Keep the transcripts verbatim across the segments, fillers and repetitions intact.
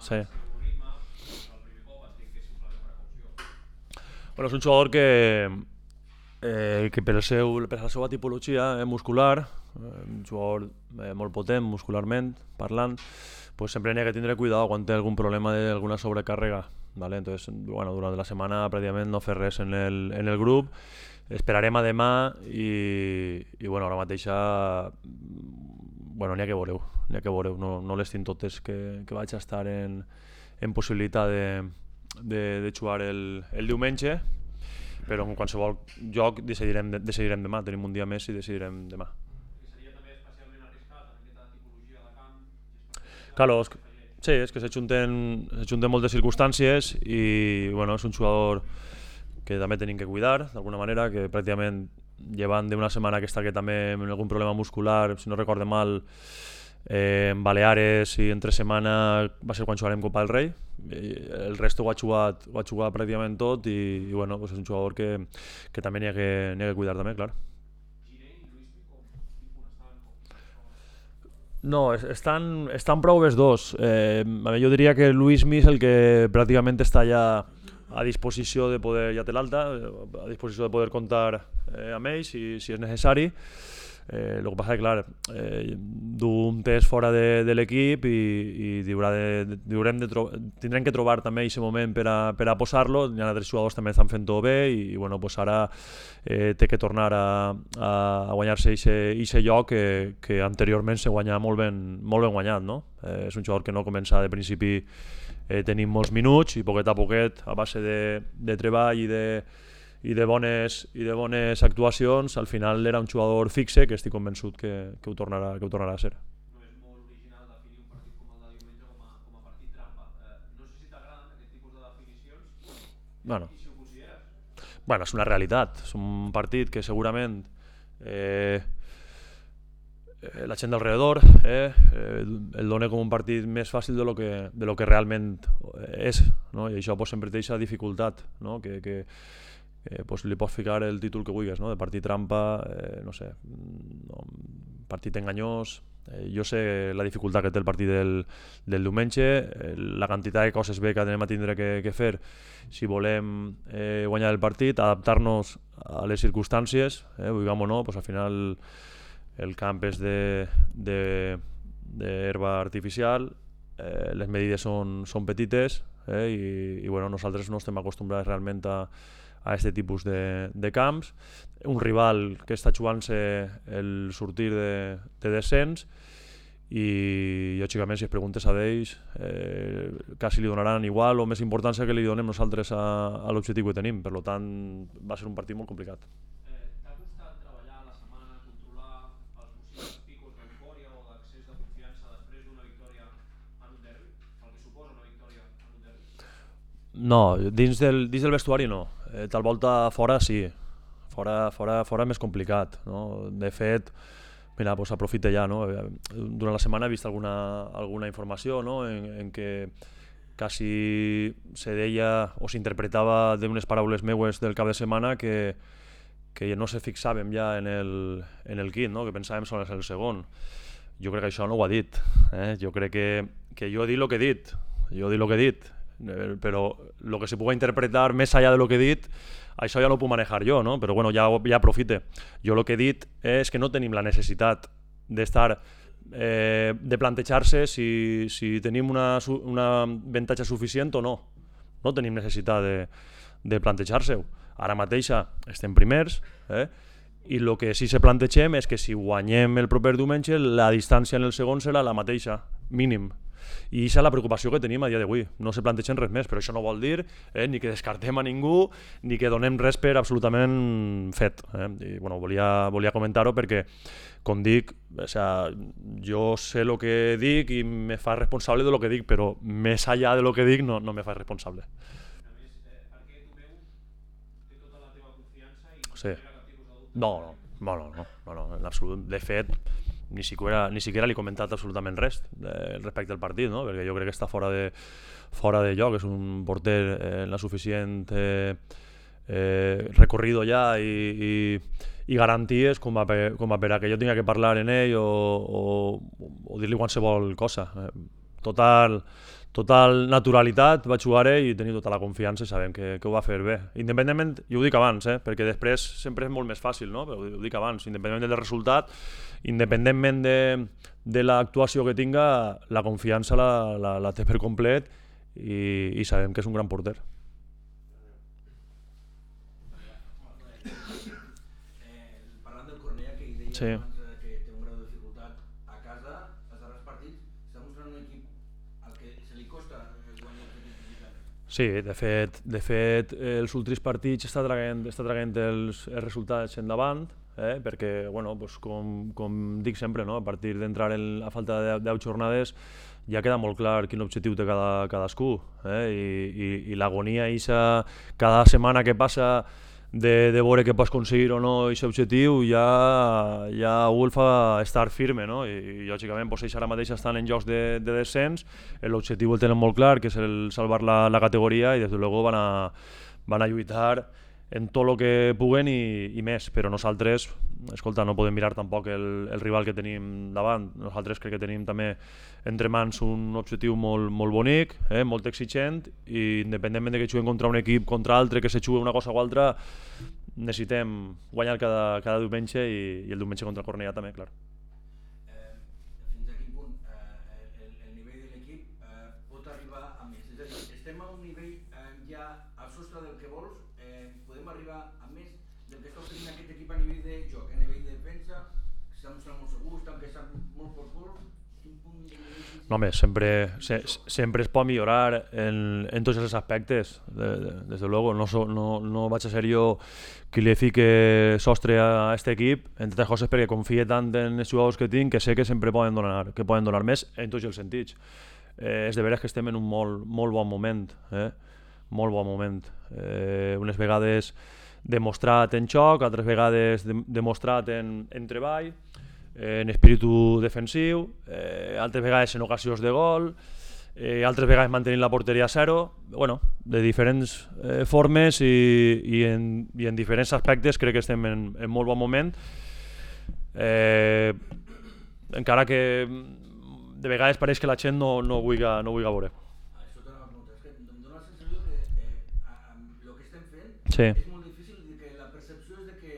Sí. Bueno, és un jugador que, eh, que per, el seu, per la seva tipologia eh, muscular, eh, un jugador eh, molt potent muscularment parlant, pues sempre n'hi ha que tindre cuidado quan té algun problema d'alguna sobrecàrrega. ¿Vale? Entonces, bueno, durant la setmana pràcticament no fer res en el, en el grup, esperarem a demà i, i bueno, ara mateixa bueno, n'hi ha que veureu, n'hi ha que veureu, no, no les tinc totes que, que vaig estar en, en possibilitat de, de, de jugar el, el diumenge, però en qualsevol joc decidirem, decidirem demà, tenim un dia més i decidirem demà. Claro, és que, sí, és que s'ajunten moltes circumstàncies i bueno, és un jugador que també tenim que cuidar d'alguna manera, que pràcticament llevant d'una setmana que està que també amb algun problema muscular, si no recorde mal, eh, en Baleares i entre setmana va ser quan jugarem Copa del Rei, i el resto ho ha jugat, ho ha jugat pràcticament tot i, i bueno, pues és un jugador que, que també n'hi ha, que, n'hi ha que cuidar també, clar. No, estan, estan prou els dos. Eh, jo diria que Luismi és el que pràcticament està ja a disposició de poder, ja té l'alta, a disposició de poder comptar eh, amb ells si, si és necessari. Eh, el que passa és que, clar, eh, du un test fora de, de l'equip i, i diurà de, diurem de tro tindrem que trobar també aquest moment per a, per a posar-lo. Hi ha altres jugadors també estan fent-ho bé i, i bueno, pues ara eh, té que tornar a, a, a guanyar-se aquest lloc que, que anteriorment se guanya molt ben, molt ben guanyat. No? Eh, és un jugador que no comença de principi eh, tenint molts minuts i poquet a poquet, a base de, de treball i de i de bones, i de bones actuacions, al final era un jugador fixe que estic convençut que, que, ho, tornarà, que ho tornarà a ser. No és molt original definir un partit com el de diumenge com a, com a partit trampa. Eh, no sé si t'agraden aquest tipus de definicions bueno. I si ho consideres. Bueno, és una realitat. És un partit que segurament eh, la gent d'alrededor eh, eh, el dona com un partit més fàcil de lo que, de lo que realment és, no? I això pues, sempre té aquesta dificultat, no? que, que Eh, pues li pots ficar el títol que vulguis, no? De partit trampa, eh, no sé, no, partit enganyós. Eh, jo sé la dificultat que té el partit del, del diumenge, eh, la quantitat de coses bé que anem a tindre que, que fer si volem eh, guanyar el partit, adaptar-nos a les circumstàncies, eh, vulguem o no, pues al final el camp és d'herba artificial, eh, les medides són, són petites eh, i, i bueno, nosaltres no estem acostumbrats realment a a aquest tipus de, de camps, un rival que està jugant-se el sortir de, de descens i lògicament si es preguntes a ells eh, quasi li donaran igual o més importància que li donem nosaltres a, a l'objectiu que tenim, per tant va ser un partit molt complicat. Eh, T'ha costat treballar a la setmana, controlar els possibles picos d'eufòria o d'accés de confiança després d'una victòria en un derbi? El que suposa una victòria en un derbi? No, dins del, dins del vestuari no. Eh, tal volta fora sí, fora, fora, fora més complicat, no? De fet, mira, pues aprofite ja, no? Durant la setmana he vist alguna, alguna informació no? en, en què quasi se deia o s'interpretava d'unes paraules meues del cap de setmana que, que no se fixàvem ja en el, en el kit, no? Que pensàvem sobre el segon. Jo crec que això no ho ha dit, eh? Jo crec que, que jo he dit el que he dit, jo he dit el que he dit, però el que se pugui interpretar més allà de lo que he dit, això ja no ho puc manejar jo, no? Però bueno, ja, ja aprofite. Jo el que he dit és que no tenim la necessitat d'estar, eh, de plantejar-se si, si tenim una, una avantatge suficient o no. No tenim necessitat de, de plantejar-se-ho. Ara mateixa estem primers, eh? I el que sí se plantegem és que si guanyem el proper diumenge, la distància en el segon serà la mateixa, mínim. I aquesta és la preocupació que tenim a dia d'avui. No se plantegen res més, però això no vol dir eh, ni que descartem a ningú ni que donem res per absolutament fet. Eh? I, bueno, volia, volia comentar-ho perquè, com dic, o sea, jo sé el que dic i me fa responsable de lo que dic, però més allà de lo que dic no, no me fa responsable. A més, eh, perquè Tomeu té tota la teva confiança i sí. No cap tipus de dubte? No, no, no, no, no, no, en absolut. De fet, ni siquiera, ni siquiera li he comentat absolutament res eh, respecte al partit, no? Perquè jo crec que està fora de, fora de lloc, és un porter eh, en la suficient eh, eh, recorrido ja i, i, i garanties com a, per, com a per a que jo tinga que parlar en ell o, o, o dir-li qualsevol cosa. Eh, total, total naturalitat vaig jugar-hi i tenia tota la confiança i sabem que, que ho va fer bé. Independentment, jo ho dic abans, eh, perquè després sempre és molt més fàcil, no? Però ho dic abans, independentment del resultat, independentment de, de l'actuació que tinga, la confiança la, la, la té per complet i, i sabem que és un gran porter. Sí. Que té un grau de dificultat a casa, els darrers partits, està mostrant un equip al que se li costa guanyar els equips visitants. Sí, de fet, de fet els últims partits està traient, està traient els, els resultats endavant, eh? Perquè, bueno, pues, com, com dic sempre, no? A partir d'entrar a falta de deu jornades ja queda molt clar quin objectiu té cada, cadascú, eh? I, i, i l'agonia eixa cada setmana que passa de, de veure que pots aconseguir o no aquest objectiu ja, ja algú el fa estar firme, no? I, i lògicament pues, ells ara mateix estan en jocs de, de descens, l'objectiu el tenen molt clar, que és el salvar la, la categoria i des de luego van a, van a lluitar en tot el que puguen i, i més, però nosaltres, escolta, no podem mirar tampoc el, el rival que tenim davant. Nosaltres crec que tenim també entre mans un objectiu molt, molt bonic, eh, molt exigent, i independentment de que juguem contra un equip, contra altre, que se jugui una cosa o altra, necessitem guanyar cada, cada diumenge i, i el diumenge contra el Cornellà també, clar. Eh, fins a quin punt eh, el, el nivell de l'equip eh, pot arribar a més? És a dir, estem a un nivell eh, ja al sostre del que vols, eh, podem arribar a més del que està oferint aquest equip a nivell de joc, a nivell de defensa, que s'ha mostrat molt segur, estan queixant molt per gol. No, home, sempre, se, sempre es pot millorar en, en tots els aspectes, de, de, des de luego. No, so, no, no vaig a ser jo qui li fique sostre a aquest equip, entre altres coses perquè confie tant en els jugadors que tinc que sé que sempre poden donar, que poden donar més en tots els sentits. Eh, és de veres que estem en un molt, molt bon moment, eh? Molt bon moment. Eh, unes vegades demostrat en xoc, altres vegades de, demostrat en, en treball, en espíritu defensiu, eh, altres vegades en ocasions de gol, eh, altres vegades mantenint la porteria a zero, bueno, de diferents eh, formes i, i, en, i en diferents aspectes crec que estem en, en molt bon moment, eh, encara que de vegades pareix que la gent no, no ho vulgui, no ho vulgui veure. Això t'ho pregunta, és que em dóna la sensació que eh, amb el que estem fent sí. És molt difícil, que la percepció és de que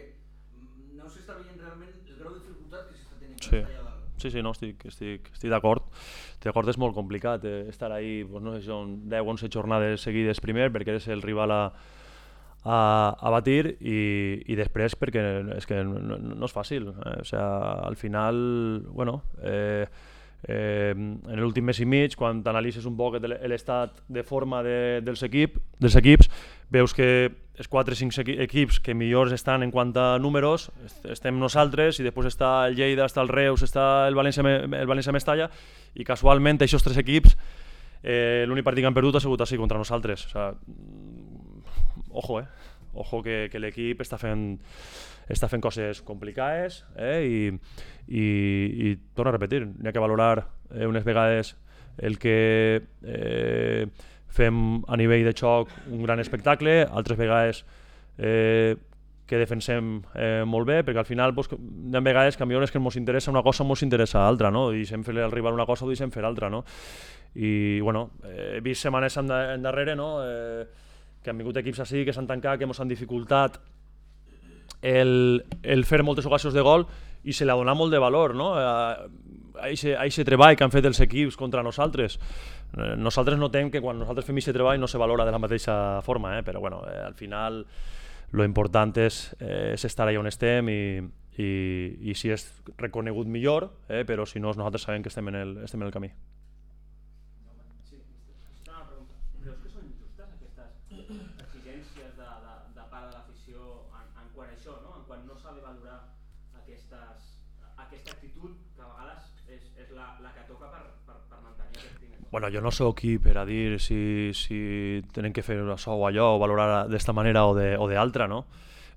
no s'està veient realment el grau de dificultat que s'està tenint sí. allà dalt. Sí, sí, no, estic, estic, estic d'acord. Estic d'acord, és molt complicat eh, estar ahí, pues, no sé si són deu o onze jornades seguides primer, perquè eres el rival a, a, a batir, i, i després perquè és que no, no és fàcil. Eh? O sea, al final, bueno, eh, eh, en l'últim mes i mig, quan t'analitzes un poc l'estat de forma de, dels, equip, dels equips, veus que els quatre o cinc equips que millors estan en quant a números estem nosaltres, i després està el Lleida, està el Reus, està el València, el València Mestalla, i casualment aquests tres equips eh, l'únic partit que han perdut ha sigut així contra nosaltres. O sea, ojo, eh? Ojo que, que l'equip està fent està fent coses complicades, eh? I, i, i torno a repetir, n'hi ha que valorar eh, unes vegades el que eh, fem a nivell de xoc un gran espectacle, altres vegades eh, que defensem eh, molt bé, perquè al final pues, hi ha vegades que millor és que ens interessa una cosa o ens interessa altra, no? I deixem fer al rival una cosa o deixem fer altra, no? I bueno, he vist setmanes endarrere, no? Eh, que han vingut equips així, que s'han tancat, que ens han dificultat el, el fer moltes ocasions de gol, i se li ha donat molt de valor, no? A aquest treball que han fet els equips contra nosaltres. Nosaltres notem que quan nosaltres fem aquest treball no se valora de la mateixa forma, eh? Però bueno, eh, al final lo important és, eh, és estar allà on estem, i, i, i si és reconegut millor, eh? Però si no, nosaltres sabem que estem en el, estem en el camí. Sí, una pregunta. Creus que són justes aquestes exigències de, de, de part de l'afició en, en quant a això, no? En quan no s'ha de valorar aquestes, aquesta actitud que a vegades és, és la, la que toca per, per, per mantenir aquest primer? Bueno, jo no sóc qui per a dir si, si tenen que fer això o allò, o valorar d'esta manera o d'altra, no?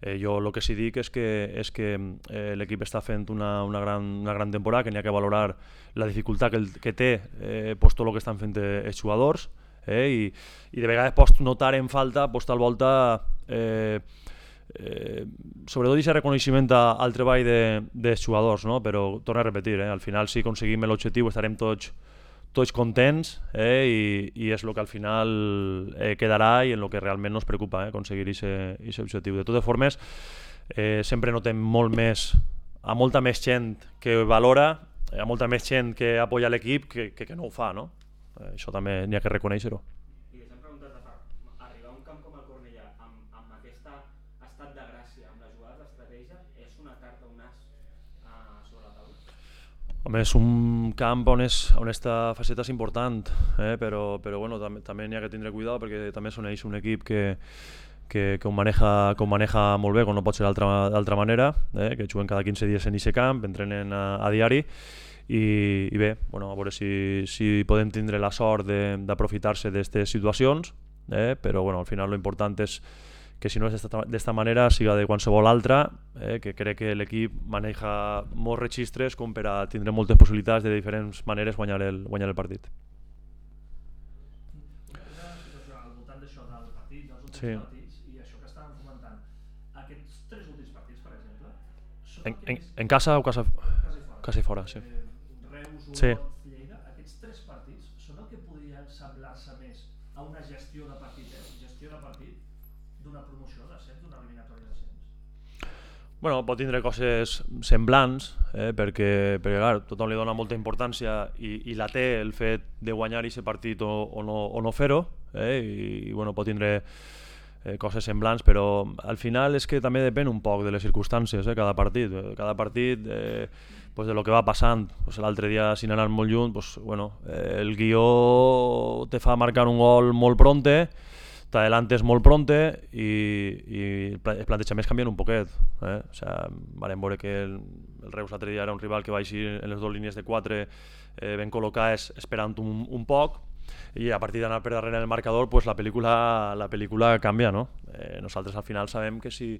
Eh, jo el que sí dic és que, és que eh, l'equip està fent una, una, gran, una gran temporada, que n'hi ha que valorar la dificultat que, el, que té eh, pues, tot el que estan fent els jugadors, eh, i, i de vegades pots notar en falta pues, tal volta eh, eh, sobretot aquest reconeixement al treball de, dels jugadors, no? Però torno a repetir, eh, al final si aconseguim l'objectiu estarem tots tots contents, eh, i, i és el que al final eh, quedarà i en el que realment nos preocupa, eh, aconseguir aquest objectiu. De totes formes, eh, sempre notem molt més, a molta més gent que valora, hi ha molta més gent que apoya l'equip que, que, que no ho fa, no? Eh, això també n'hi ha que reconèixer-ho. I deixa'm preguntar-te, per arribar a un camp com el Cornellà amb, amb aquest estat de gràcia, amb les jugades d'estratègia, és una carta, un as uh, sobre la taula? Home, és un camp on, és, on esta faceta és important, eh? però, però bueno, també, també n'hi ha que tindre cuidado perquè també són ells un equip que, que, que, ho maneja, que ho maneja molt bé, com no pot ser d'altra manera, eh? que juguen cada quinze dies en aquest camp, entrenen a, a diari, i, i bé, bueno, a veure si, si podem tindre la sort d'aprofitar-se d'aquestes situacions, eh? però bueno, al final l'important és que si no és d'esta manera siga de qualsevol altra, eh? que crec que l'equip maneja molts registres com per a tindre moltes possibilitats de diferents maneres guanyar el, guanyar el partit. Una situació al voltant d'això del partit, dels últims Sí. partits i això que estàvem comentant, aquests tres últims partits, per exemple, són En, el que en, més... en casa o casa, Casa i fora. casa i fora, sí. Eh, Reus, Olot, Sí. Lleida, aquests tres partits són el que podrien semblar-se més a una gestió de partit, eh? gestió de partit d'una promoció d'ascens, d'una eliminatòria d'ascens. Bueno, pot tindre coses semblants, eh, perquè, perquè clar, tothom li dona molta importància i, i la té el fet de guanyar aquest partit o, o no, o no fer-ho, eh, i, i bueno, pot tindre eh, coses semblants, però al final és que també depèn un poc de les circumstàncies, eh, cada partit. Cada partit, eh, pues de lo que va passant, pues l'altre dia sin anar molt lluny, pues, bueno, eh, el guió te fa marcar un gol molt pronte, t'adelantes molt pronte i, i els plantejaments canvien un poquet. Eh? O sea, vam veure que el, el Reus l'altre dia era un rival que va així en les dues línies de quatre eh, ben col·locades esperant un, un poc, i a partir d'anar per darrere del marcador pues la pel·lícula, la pel·lícula canvia, no? Eh, nosaltres al final sabem que si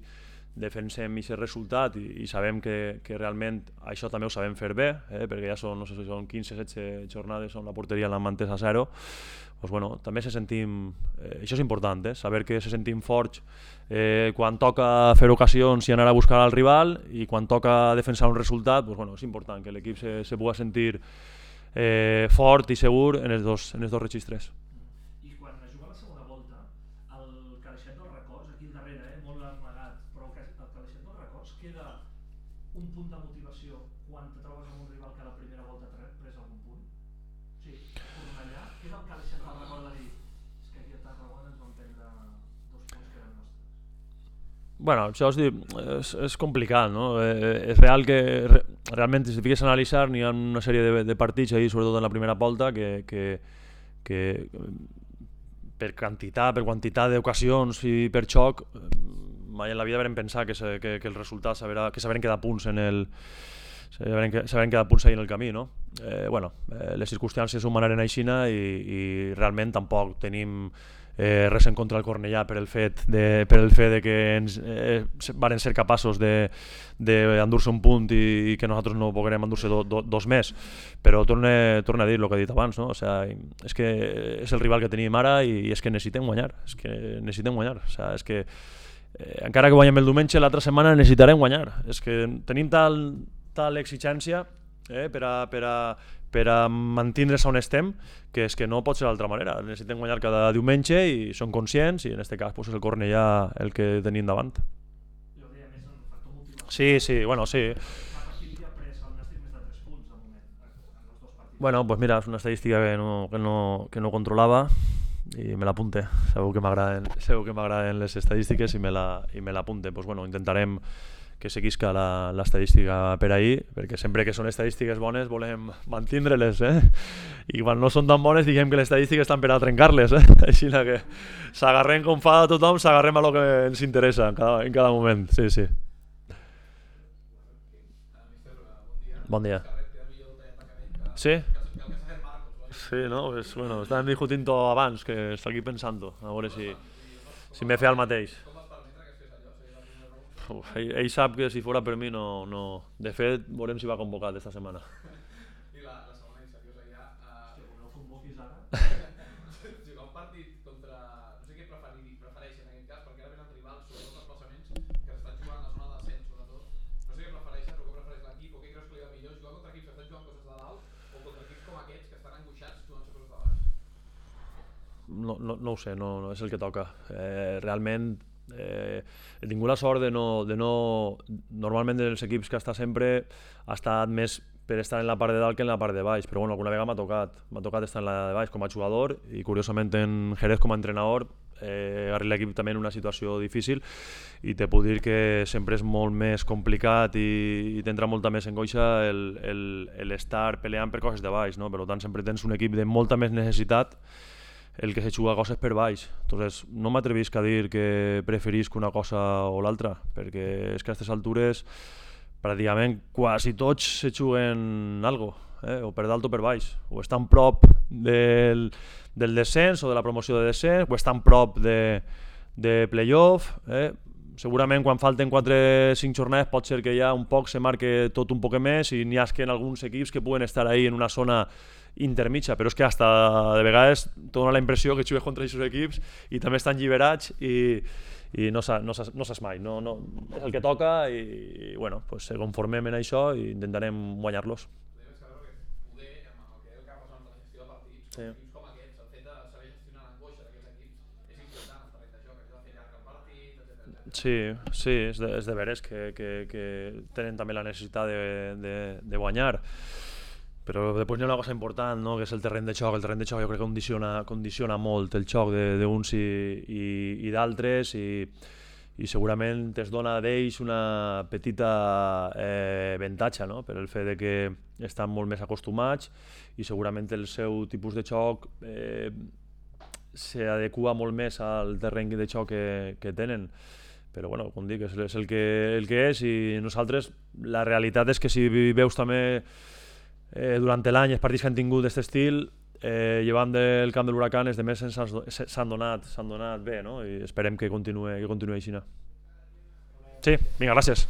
defensem aquest resultat i, i sabem que, que realment això també ho sabem fer bé, eh, perquè ja són, no sé si són quinze setze jornades on la porteria la mantens a zero, pues bueno, també se sentim, eh, això és important, eh, saber que se sentim forts eh, quan toca fer ocasions i anar a buscar al rival, i quan toca defensar un resultat, pues bueno, és important que l'equip se, se pugui sentir eh, fort i segur en els dos, en els dos registres. I quan es juga la segona volta, el caleixet dels records, aquí al darrere, eh, molt amagat, però el caleixet dels records queda un punt de motivació quan te trobes amb un rival que a la primera volta t'ha pres algun punt? O sigui, Cornellà, queda el caleixet del record de dir és que aquí a Tarragona ens van prendre dos punts que eren nostres. Bueno, això és, és, és complicat, no? Eh, és real que re, realment si fiques a analitzar n'hi ha una sèrie de, de partits ahí, sobretot en la primera volta, que, que, que per quantitat, per quantitat d'ocasions i per xoc mai en la vida vam pensar que, se, que, que el resultat s'haverà, que s'haveren quedat punts en el s'haveren quedat punts ahí en el camí, no? Eh, bueno, eh, les circumstàncies ho manaren aixina i, i realment tampoc tenim Eh, res en contra del Cornellà per el fet de, per el fet de que ens eh, varen ser capaços d'endur-se un punt i, i que nosaltres no poguerem endur-se do, do, dos més, però torna, torna a dir el que he dit abans, no? O sea, és que és el rival que tenim ara i, i és que necessitem guanyar, és que necessitem guanyar, o sea, és que eh, encara que guanyem el diumenge, l'altra setmana necessitarem guanyar, és que tenim tal, tal exigència eh, per a, per a per a mantindre's on estem, que és que no pot ser d'altra manera. Necessitem guanyar cada diumenge i són conscients, i en aquest cas pues, és el Cornellà el que tenim davant. Jo deia més en el factor motivació. Sí, sí, bueno, sí. A partir d'hi ha pres el Nàstic més de tres punts de moment, en els dos partits. Bueno, pues mira, és una estadística que no, que no, que no controlava i me l'apunte. Segur que m'agraden segur que m'agraden les estadístiques i me la, i me l'apunte. Pues bueno, intentarem que seguisca l'estadística per ahir, perquè sempre que són estadístiques bones volem mantindre-les, eh? I quan no són tan bones diguem que les estadístiques estan per a trencar-les, eh? Així que s'agarrem com fa tothom, s'agarrem a lo que ens interessa en cada, en cada moment, sí, sí. Bon dia. Sí? Sí, no? Pues, bueno, estàvem discutint-ho abans, que està aquí pensant-ho, a veure si, si m'he fet el mateix. Uf, ell, ell sap que si fora per mi no, no... De fet, veurem si va convocat esta setmana. I la, la segona i seriosa ja... Uh... Si no el convoquis ara... jugar un partit contra... No sé què preferir, prefereixen en aquest cas, perquè ara venen rivals, sobretot els desplaçaments, que s'estan jugant a la zona d'ascens, sobretot. No sé què prefereixen o què prefereix l'equip o què creus que li va millor, jugar contra equips que estan jugant coses de dalt o contra equips com aquests que estan angoixats no, no, no ho sé, no, no és el que toca. Eh, realment eh, he tingut la sort de no, de no... Normalment dels equips que està sempre ha estat més per estar en la part de dalt que en la part de baix, però bueno, alguna vegada m'ha tocat. M'ha tocat estar en la de baix com a jugador i curiosament en Jerez com a entrenador eh, agarri l'equip també en una situació difícil i te puc dir que sempre és molt més complicat i, i t'entra molta més angoixa l'estar peleant per coses de baix, no? Per tant sempre tens un equip de molta més necessitat el que se juga coses per baix. Entonces, no m'atrevisc a dir que preferisc una cosa o l'altra, perquè és que a aquestes altures pràcticament quasi tots se juguen algo, eh? O per dalt o per baix, o estan prop del, del descens o de la promoció de descens, o estan prop de, de playoff, eh? Segurament quan falten quatre cinc jornades pot ser que ja un poc se marque tot un poc més i n'hi ha que en alguns equips que puguen estar ahí en una zona intermitja, però és que hasta de vegades te dona la impressió que jugues contra aquests equips i també estan lliberats i, i no, sa, no, sa, no saps mai, no, no, és el que toca i, i bueno, pues, se conformem en això i intentarem guanyar-los. Poder, amb el que el que ha passat amb la gestió de partits, sí. Equips com aquests, el fet de saber gestionar l'angoixa d'aquests equips és important en terreny de joc, això de fer llarg el partit, etcètera. Sí, sí, és de, és de veres que, que, que tenen també la necessitat de, de, de guanyar. Però després hi ha una cosa important, no? Que és el terreny de joc. El terreny de joc jo crec que condiciona, condiciona molt el joc d'uns i, i, i d'altres i, i segurament es dona d'ells una petita eh, avantatge, no? Per el fet de que estan molt més acostumats i segurament el seu tipus de joc eh, s'adequa molt més al terreny de joc que, que tenen. Però bueno, com dic, és, és el, que, el que és i nosaltres la realitat és que si veus també Eh, durant l'any els partits que han tingut d'aquest estil eh, llevant del camp de l'Huracán els demés s'han donat, s'han donat bé, no? I esperem que continuï, que continuï així. Sí, vinga, gràcies.